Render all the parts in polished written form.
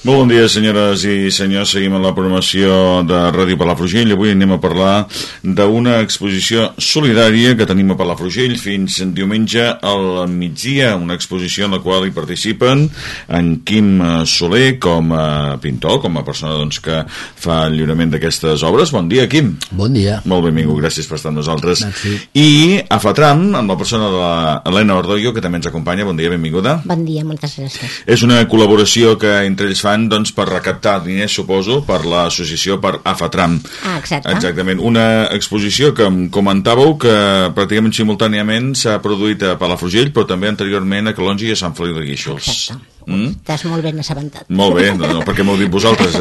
Molt bon dia, senyores i senyors. Seguim en la programació de Ràdio Palafrugell. Avui anem a parlar d'una exposició solidària que tenim a Palafrugell fins diumenge al migdia. Una exposició en la qual hi participen en Quim Soler com a pintor, com a persona que fa el lliurament d'aquestes obres. Bon dia, Quim. Bon dia. Molt benvingut, gràcies per estar amb nosaltres. Merci. I a Fatram, amb la persona de l'Helena Ordoyo, que també ens acompanya. Bon dia, benvinguda. Bon dia, moltes gràcies. És una col·laboració que entre ells fan per recaptar diners, suposo, per l'associació per Afatram. Exacte. Exactament. Una exposició que em comentàveu que pràcticament simultàniament s'ha produït a Palafrugell, però també anteriorment a Calonge i a Sant Feliu de Guíxols. Exacte. Estàs molt ben assabentat. Molt bé, no, perquè m'heu dit vosaltres,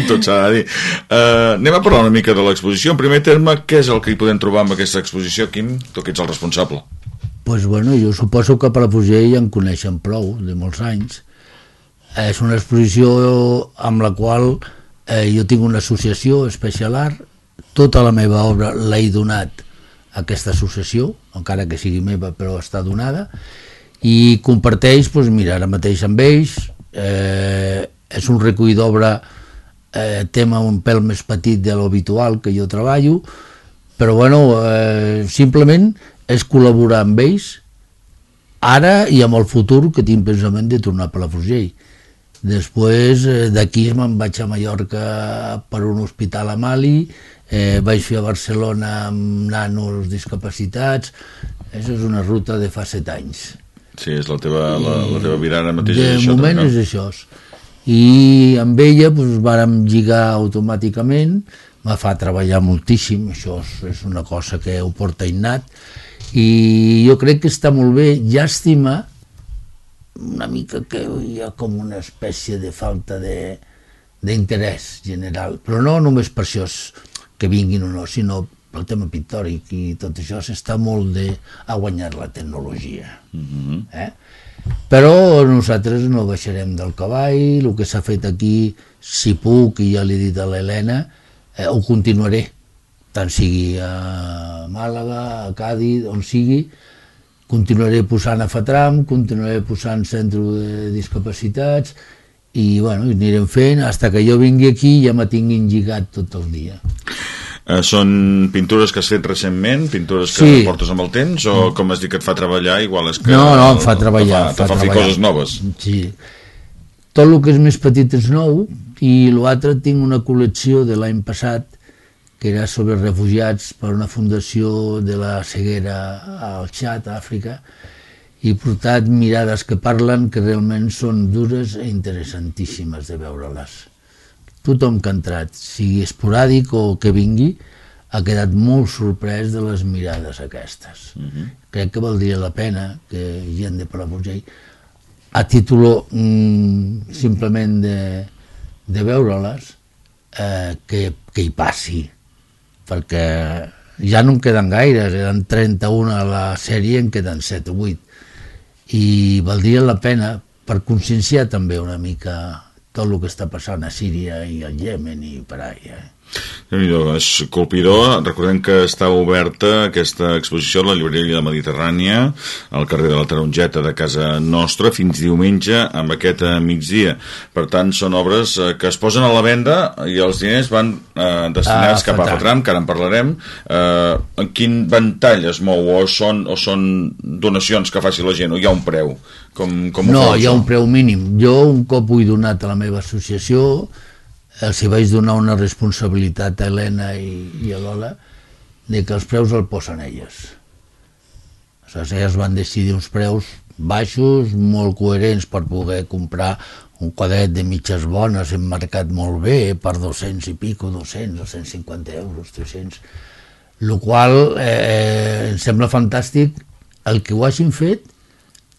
Tot s'ha de dir. Anem a parlar una mica de l'exposició. En primer terme, què és el que hi podem trobar amb aquesta exposició, Quim? Tu que ets el responsable. Pues bueno, jo suposo que a Palafrugell en coneixen prou, de molts anys. És una exposició amb la qual jo tinc una associació, Special Art. Tota la meva obra l'he donat a aquesta associació, encara que sigui meva, però està donada, i comparteix, doncs mira, ara mateix amb ells. És un recull d'obra, tema un pèl més petit de l'habitual que jo treballo, però bueno, simplement és col·laborar amb ells ara i amb el futur, que tinc pensament de tornar a Palafrugell. Després d'aquí me'n vaig a Mallorca per un hospital a Mali, vaig fer a Barcelona amb nanos discapacitats. Això és una ruta de fa 7 anys. Sí, és la teva virada mateix. De moment és això. I amb ella vàrem lligar automàticament, me fa treballar moltíssim, això és una cosa que ho porta innat, i jo crec que està molt bé. Llàstima una mica que hi ha com una espècie de falta d'interès general, però no només per això que vinguin o no, sinó pel tema pictòric, i tot això s'està molt a guanyar la tecnologia. Però nosaltres no baixarem del cavall. El que s'ha fet aquí, si puc, i ja l'he dit a l'Helena, ho continuaré, tant sigui a Màlaga, a Càdiz, on sigui. Continuaré posant a Fatram, continuaré posant centre de discapacitats, i bueno, anirem fent fins que jo vingui aquí i ja me tinguin lligat tot el dia. Són pintures que has fet recentment, pintures que portes amb el temps, o com has dit que et fa treballar, igual és que... No, em fa treballar. Te fa fer coses noves. Sí. Tot el que és més petit és nou, i l'altre tinc una col·lecció de l'any passat, que era sobre refugiats per una fundació de la ceguera al Txad, a Àfrica, i he portat mirades que parlen que realment són dures i interessantíssimes de veure-les. Tothom que ha entrat, sigui esporàdic o que vingui, ha quedat molt sorprès de les mirades aquestes. Crec que valdria la pena que gent de Palafrugell, a títol simplement de veure-les, que hi passi, perquè ja no en queden gaires, eren 31 a la sèrie, en queden 7 o 8, i valdria la pena per conscienciar també una mica tot el que està passant a Síria i al Iemen i per allà. És colpidor. Recordem que està oberta aquesta exposició a la llibreria de Mediterrània, al carrer de la Tarongeta de casa nostra, fins diumenge amb aquest migdia. Per tant, són obres que es posen a la venda i els diners van destinats cap a Fatram, que ara en parlarem. En quin ventall es mou? O són donacions que faci la gent? O hi ha un preu? No, hi ha un preu mínim. Jo un cop ho he donat a la meva associació, els hi vaig donar una responsabilitat a Helena i a Lola de que els preus el posen elles. Aleshores, elles van decidir uns preus baixos, molt coherents, per poder comprar un quadret de mitges bones emmarcat molt bé per 200 i pico, 200 o 150 euros, 300, el qual em sembla fantàstic el que ho hagin fet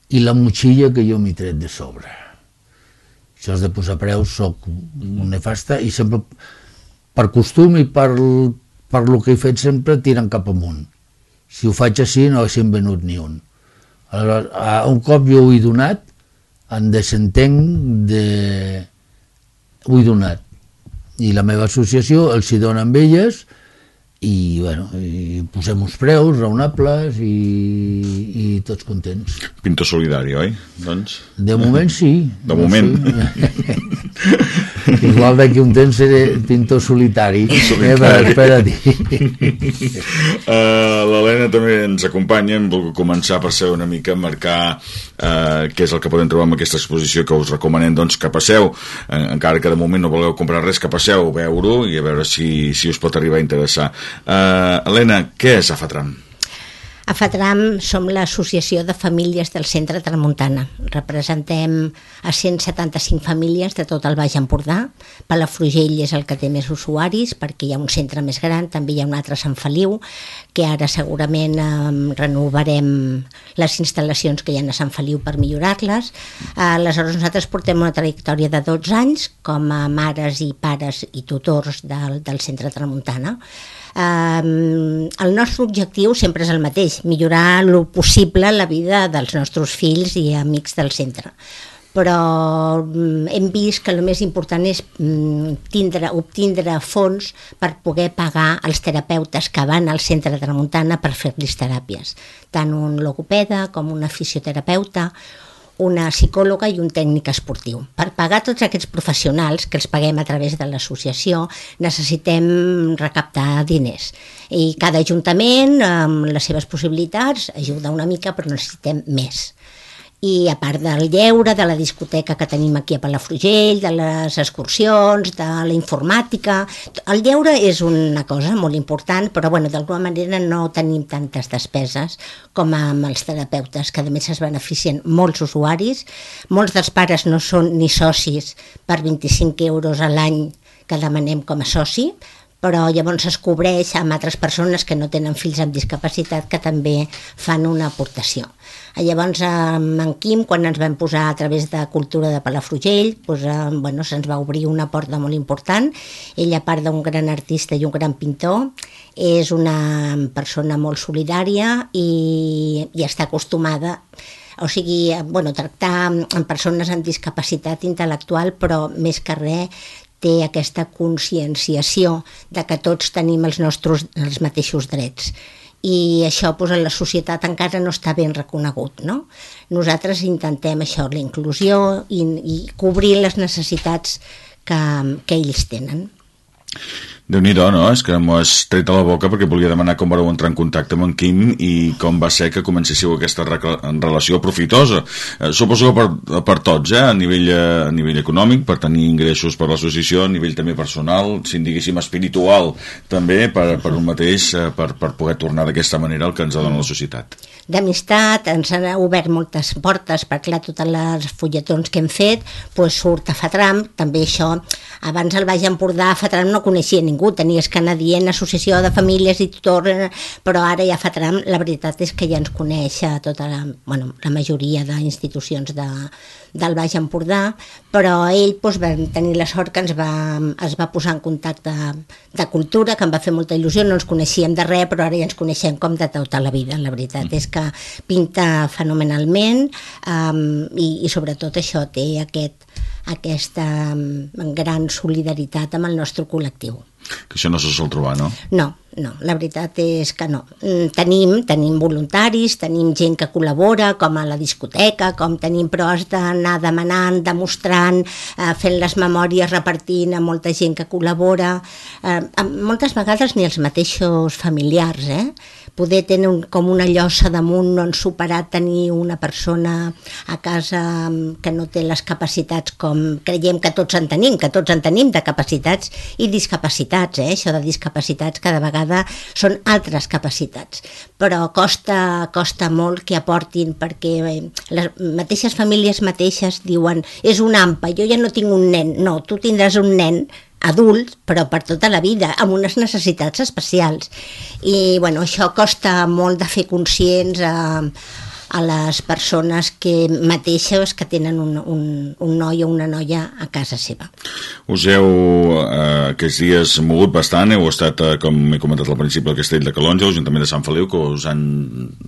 i la motxilla que jo m'he tret de sobre. Això és de posar preus, soc un nefasta, i sempre per costum i per el que he fet sempre tiren cap amunt. Si ho faig així no haguéssim venut ni un. Aleshores, un cop jo ho he donat, en desentenc ho he donat, i la meva associació els hi dona amb elles, i bueno, i posem uns preus raonables i tots contents. Pintor solidari, oi? Doncs... De moment sí. De moment. Sí. Igual d'aquí un temps seré pintor solitari. Espera-t'hi. L'Helena també ens acompanya. Hem volgut començar per ser una mica marcar què és el que podem trobar en aquesta exposició, que us recomanem doncs, que passeu, encara que de moment no voleu comprar res, que passeu a veure-ho i a veure si us pot arribar a interessar. Helena, què és AFATRAM? AFATRAM som l'Associació de Famílies del Centre Tramuntana. Representem a 175 famílies de tot el Baix Empordà. Palafrugell és el que té més usuaris perquè hi ha un centre més gran, també hi ha un altre a Sant Feliu, que ara segurament renovarem les instal·lacions que hi ha a Sant Feliu per millorar-les. Aleshores nosaltres portem una trajectòria de 12 anys com a mares i pares i tutors del Centre Tramuntana. El nostre objectiu sempre és el mateix, millorar el possible la vida dels nostres fills i amics del centre. Però hem vist que el més important és obtindre fons per poder pagar els terapeutes que van al centre de Tramuntana per fer-los teràpies, tant un logopeda com un fisioterapeuta, una psicòloga i un tècnic esportiu. Per pagar tots aquests professionals, que els paguem a través de l'associació, necessitem recaptar diners. I cada ajuntament, amb les seves possibilitats, ajuda una mica, però necessitem més. I a part del lleure, de la discoteca que tenim aquí a Palafrugell, de les excursions, de la informàtica, el lleure és una cosa molt important, però d'alguna manera no tenim tantes despeses com amb els terapeutes, que a més es beneficien molts usuaris. Molts dels pares no són ni socis per 25 euros a l'any que demanem com a soci, però llavors es cobreix amb altres persones que no tenen fills amb discapacitat que també fan una aportació. Llavors en Quim, quan ens vam posar a través de Cultura de Palafrugell, se'ns va obrir una porta molt important. Ell, a part d'un gran artista i un gran pintor, és una persona molt solidària i està acostumada a tractar amb persones amb discapacitat intel·lectual, però més que res té aquesta conscienciació de que tots tenim els mateixos drets. I això en la societat encara no està ben reconegut, no? Nosaltres intentem això, la inclusió i cobrir les necessitats que ells tenen. Déu-n'hi-do, no? És que m'ho has tret a la boca perquè volia demanar com vareu entrar en contacte amb en Quim i com va ser que comencéssiu aquesta relació profitosa. Suposo que per tots, a nivell econòmic, per tenir ingressos per l'associació, a nivell també personal, si en diguéssim espiritual, també per un mateix, per poder tornar d'aquesta manera el que ens dona la societat. D'amistat, ens han obert moltes portes, perquè clar, totes les fulletons que hem fet, surt AFATRAM, també això, abans al Baix Empordà AFATRAM no coneixia ningú, tenies que anar dient Associació de Famílies i Tutors, però ara ja AFATRAM, la veritat és que ja ens coneix tota la majoria d'institucions del Baix Empordà, però ell va tenir la sort que es va posar en contacte de Cultura, que em va fer molta il·lusió, no ens coneixíem de res, però ara ja ens coneixem com de tota la vida. La veritat és que pinta fenomenalment i sobretot això té aquesta gran solidaritat amb el nostre col·lectiu. Que això no se sol trobar, no? No, la veritat és que no. Tenim voluntaris, tenim gent que col·labora, com a la discoteca, però has d'anar demanant, demostrant, fent les memòries, repartint a molta gent que col·labora. Moltes vegades ni els mateixos familiars, poder tenir com una llosa damunt, no han superat tenir una persona a casa que no té les capacitats com creiem que tots en tenim de capacitats i discapacitats. Això de discapacitats cada vegada són altres capacitats, però costa molt que aportin, perquè les mateixes famílies mateixes diuen és un AMPA, jo ja no tinc un nen. No, tu tindràs un nen adult, però per tota la vida, amb unes necessitats especials. I això costa molt de fer conscients a les persones mateixes que tenen un noi o una noia a casa seva. Us heu aquests dies mogut bastant, heu estat, com he comentat al principi, al Castell de Calonge, l'Ajuntament de Sant Feliu, que us han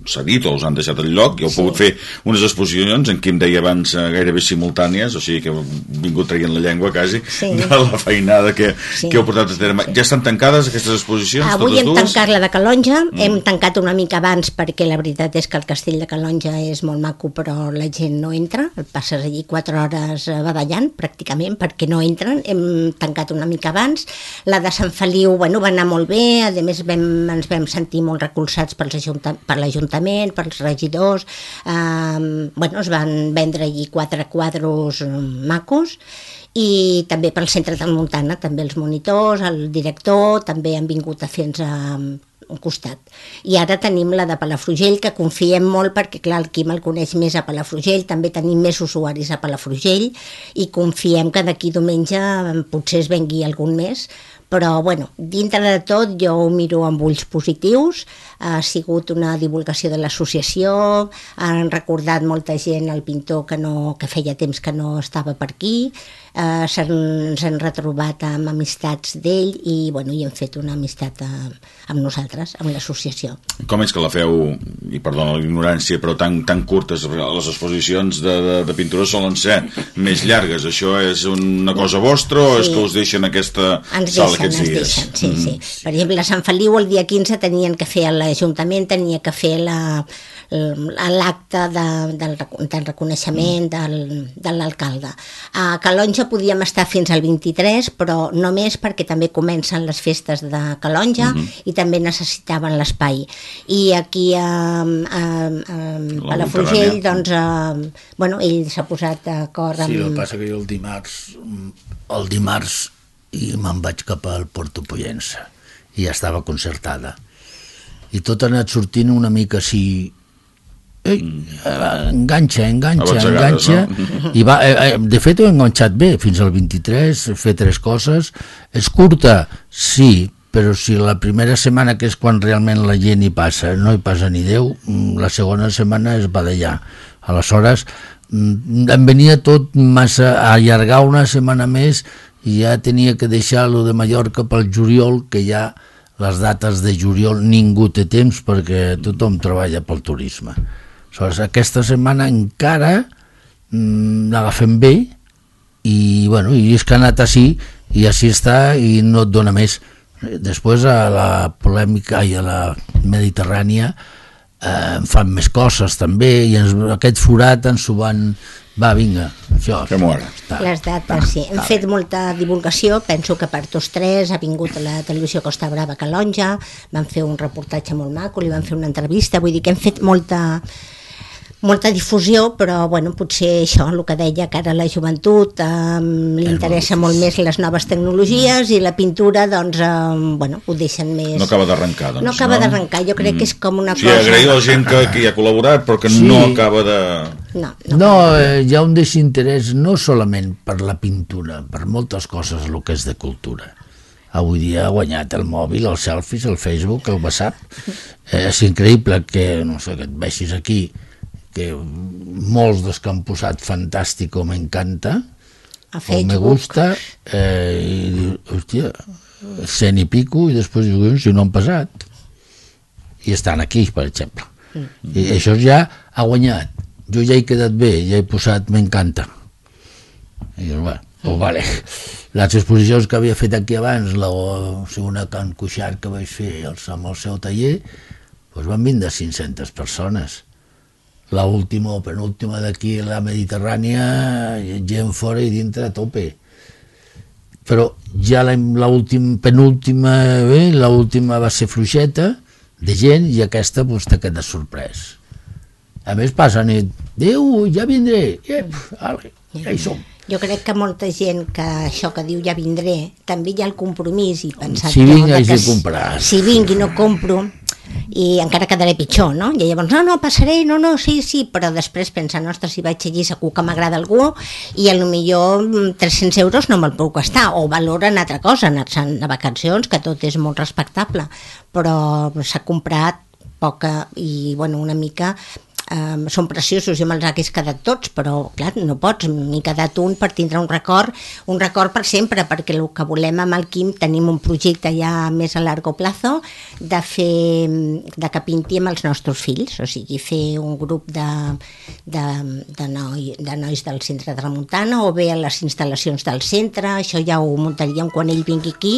cedit o us han deixat el lloc, i heu pogut fer unes exposicions, en què em deia abans gairebé simultànies, o sigui que heu vingut traient la llengua quasi, de la feinada que heu portat a terme. Ja estan tancades aquestes exposicions? Avui hem tancat la de Calonge, hem tancat una mica abans perquè la veritat és que el Castell de Calonge Calonja és molt maco, però la gent no entra, passes allí 4 hores badallant pràcticament perquè no entren, hem tancat una mica abans. La de Sant Feliu, va anar molt bé, a més ens vam sentir molt recolzats per l'Ajuntament, pels regidors, es van vendre allí 4 quadros macos, i també pel centre de Tramuntana, també els monitors, el director, també han vingut a fer-nos un costat. I ara tenim la de Palafrugell, que confiem molt perquè, clar, el Quim el coneix més a Palafrugell, també tenim més usuaris a Palafrugell i confiem que d'aquí diumenge potser es vengui algun més, però, dintre de tot jo ho miro amb ulls positius, ha sigut una divulgació de l'associació, han recordat molta gent el pintor que feia temps que no estava per aquí, s'han retrobat amb amistats d'ell i hem fet una amistat amb nosaltres, amb l'associació. Com és que la feu, i perdona l'ignorància, però tan curtes? Les exposicions de pintura solen ser més llargues. Això és una cosa vostra o és que us deixen aquesta sala aquests dies? Sí. Per exemple, a Sant Feliu el dia 15 tenien que fer, l'Ajuntament tenia que fer l'acte del reconeixement de l'alcalde. A Calonja podíem estar fins al 23, però només perquè també comencen les festes de Calonja i també necessitaven l'espai. I aquí a Palafrugell, ell s'ha posat d'acord amb... Sí, el que passa que jo el dimarts i me'n vaig cap al Porto Pollença i ja estava concertada. I tot ha anat sortint una mica així... enganxa no? I de fet ho he enganxat bé fins al 23, fer 3 coses. És curta, sí, però si la primera setmana, que és quan realment la gent hi passa, no hi passa ni Déu, la segona setmana és badallar. Aleshores em venia tot massa a allargar una setmana més i ja tenia que deixar lo de Mallorca pel juliol, que ja les dates de juliol ningú té temps perquè tothom treballa pel turisme. Aleshores, aquesta setmana encara l'agafem bé i és que ha anat així i així està i no et dona més. Després a la polèmica i a la Mediterrània en fan més coses també i aquest forat ens ho van... Va, vinga, això. Les dates, sí. Hem fet molta divulgació, penso que per tots 3 ha vingut a la televisió Costa Brava a Calonja, van fer un reportatge molt maco, li van fer una entrevista, vull dir que hem fet molta difusió, però potser això, el que deia, que ara la joventut li interessa molt més les noves tecnologies i la pintura, ho deixen més... No acaba d'arrencar, doncs. No acaba d'arrencar, jo crec que és com una cosa... Sí, agrair a la gent que hi ha col·laborat, però que no acaba de... No, hi ha un desinterès no solament per la pintura, per moltes coses, el que és de cultura. Avui dia ha guanyat el mòbil, els selfies, el Facebook, el WhatsApp. És increïble que, no sé, que et veixis aquí, que molts dels que han posat fantàstic o m'encanta o me gusta i dius, hòstia, 100 i pico i després dius, si no han passat i estan aquí, per exemple, i això ja ha guanyat. Jo ja he quedat bé, ja he posat m'encanta i dius, vale. Les exposicions que havia fet aquí abans, la segona Can Cuixart que vaig fer amb el seu taller, van vindre 500 persones. L'última o penúltima d'aquí, la Mediterrània, gent fora i dintre a tope. Però ja penúltima va ser fluixeta de gent i aquesta t'ha quedat sorprès. A més passen i Déu, ja vindré, ja hi som. Jo crec que molta gent que això que diu ja vindré, també hi ha el compromís i pensar si vinc haig de comprar. Si vinc i no compro i encara quedaré pitjor, no? I llavors, no, passaré, sí, però després pensa, ostres, si vaig allí segur que m'agrada algú i potser 300 euros no me'l puc gastar, o valoren altra cosa, anar-se'n a vacacions, que tot és molt respectable, però s'ha comprat poca i, una mica... són preciosos, jo me'ls hagués quedat tots, però clar, no pots, m'he quedat un per tindre un record per sempre, perquè el que volem amb el Quim, tenim un projecte ja més a largo plazo de que pinti amb els nostres fills, o sigui, fer un grup de nois del centre de Tramuntana o bé a les instal·lacions del centre, això ja ho muntaríem quan ell vingui aquí,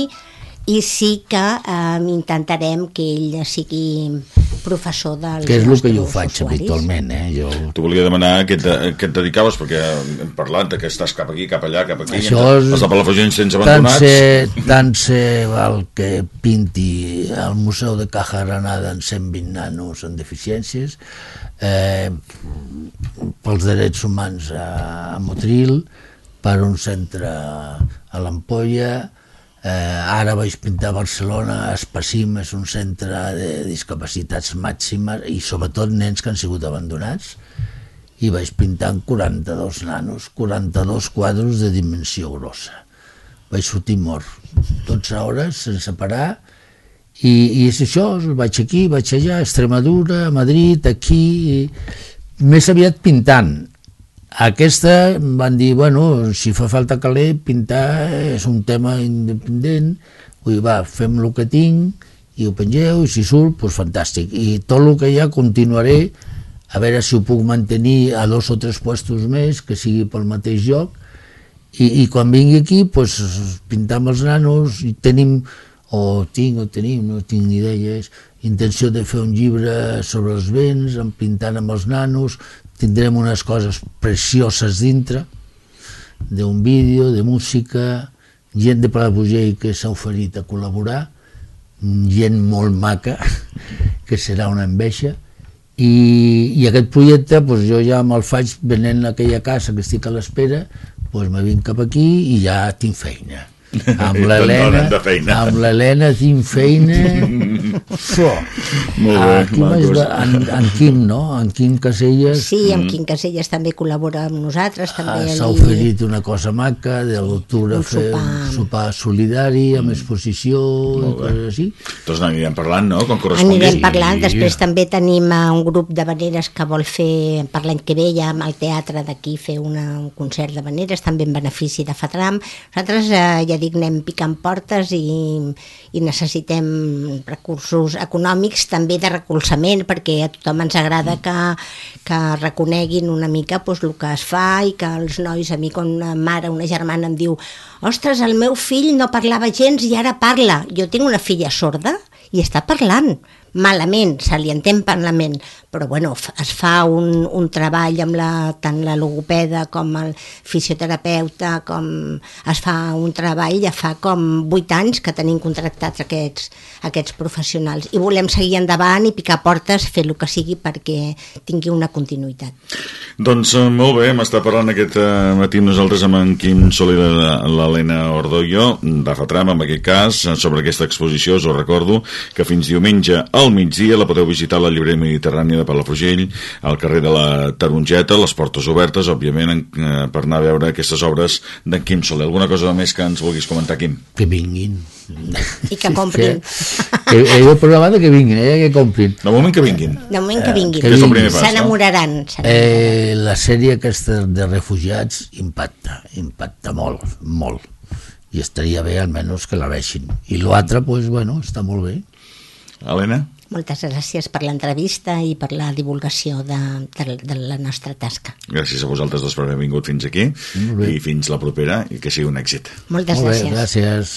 i sí que intentarem que ell sigui professor dels que és el que jo faig usuaris. habitualment, Jo... T'ho volia demanar a què et dedicaves, perquè hem parlat que estàs cap aquí, cap allà, cap aquí. Això és... Els de Palafrugell sense abandonats. Tant se val que pinti al Museu de Caja Granada en 120 nanos amb deficiències, pels drets humans a Motril, per un centre a l'Ampolla, ara vaig pintar a Barcelona, Espacim és un centre de discapacitats màximes i sobretot nens que han sigut abandonats, i vaig pintar en 42 nanos, 42 quadros de dimensió grossa. Vaig sortir mort, 12 hores sense parar, i és això, vaig aquí, vaig allà, a Extremadura, a Madrid, aquí, més aviat pintant. Aquesta van dir, bueno, si fa falta caler, pintar és un tema independent, vull dir, va, fem el que tinc i ho pengeu, i si surt, doncs fantàstic. I tot el que hi ha continuaré, a veure si ho puc mantenir a 2 o 3 puestos més, que sigui pel mateix lloc, i quan vingui aquí, doncs pintar amb els nanos, i tenim, no tinc ni idea, intenció de fer un llibre sobre els vents, pintant amb els nanos, tindrem unes coses precioses dintre, d'un vídeo, de música, gent de Palafrugell que s'ha oferit a col·laborar, gent molt maca, que serà una enveja, i aquest projecte doncs jo ja me'l faig venent a aquella casa que estic a l'espera, doncs me vinc cap aquí i ja tinc feina. Amb l'Helena tinc feina. Molt bé. En Quim, no? En Quim Caselles. Sí, en Quim Caselles també col·labora amb nosaltres. S'ha oferit una cosa maca de l'octubre, fer un sopar solidari amb exposició i coses així. Doncs n'anirem parlant, no? Com correspongui. Anirem parlant. Després també tenim un grup de veneres que vol fer per l'any que ve ja amb el teatre d'aquí fer un concert de veneres, també en benefici de Fatram. Nosaltres ja dic, anem picant portes i necessitem recursos econòmics, també de recolzament, perquè a tothom ens agrada que reconeguin una mica doncs, el que es fa, i que els nois, a mi quan una mare, una germana em diu ostres, el meu fill no parlava gens i ara parla. Jo tinc una filla sorda i està parlant. Malament, se li entén malament, però bueno, es fa un treball amb tant la logopeda com el fisioterapeuta, com es fa un treball, ja fa com 8 anys que tenim contractats aquests professionals, i volem seguir endavant i picar portes, fer el que sigui perquè tingui una continuïtat. Doncs molt bé, hem estat parlant aquest matí nosaltres amb en Quim Soler i l'Helena Ordoyo, de Fatram, en aquest cas, sobre aquesta exposició. Us ho recordo que fins diumenge al migdia la podeu visitar a la llibreria Mediterrània de Palafrugell, al carrer de la Tarongeta, les portes obertes, òbviament, per anar a veure aquestes obres d'en Quim Soler. Alguna cosa més que ens vulguis comentar, Quim? Que vinguin. I que comprin. He programat que vinguin, que comprin. De moment que vinguin. De moment que vinguin. S'enamoraran. La sèrie aquesta de refugiats impacta molt, molt. I estaria bé almenys que la vegin. I l'altre, doncs, bueno, està molt bé. Helena? Moltes gràcies per l'entrevista i per la divulgació de la nostra tasca. Gràcies a vosaltres dos per haver vingut fins aquí i fins la propera, i que sigui un èxit. Moltes gràcies. Gràcies.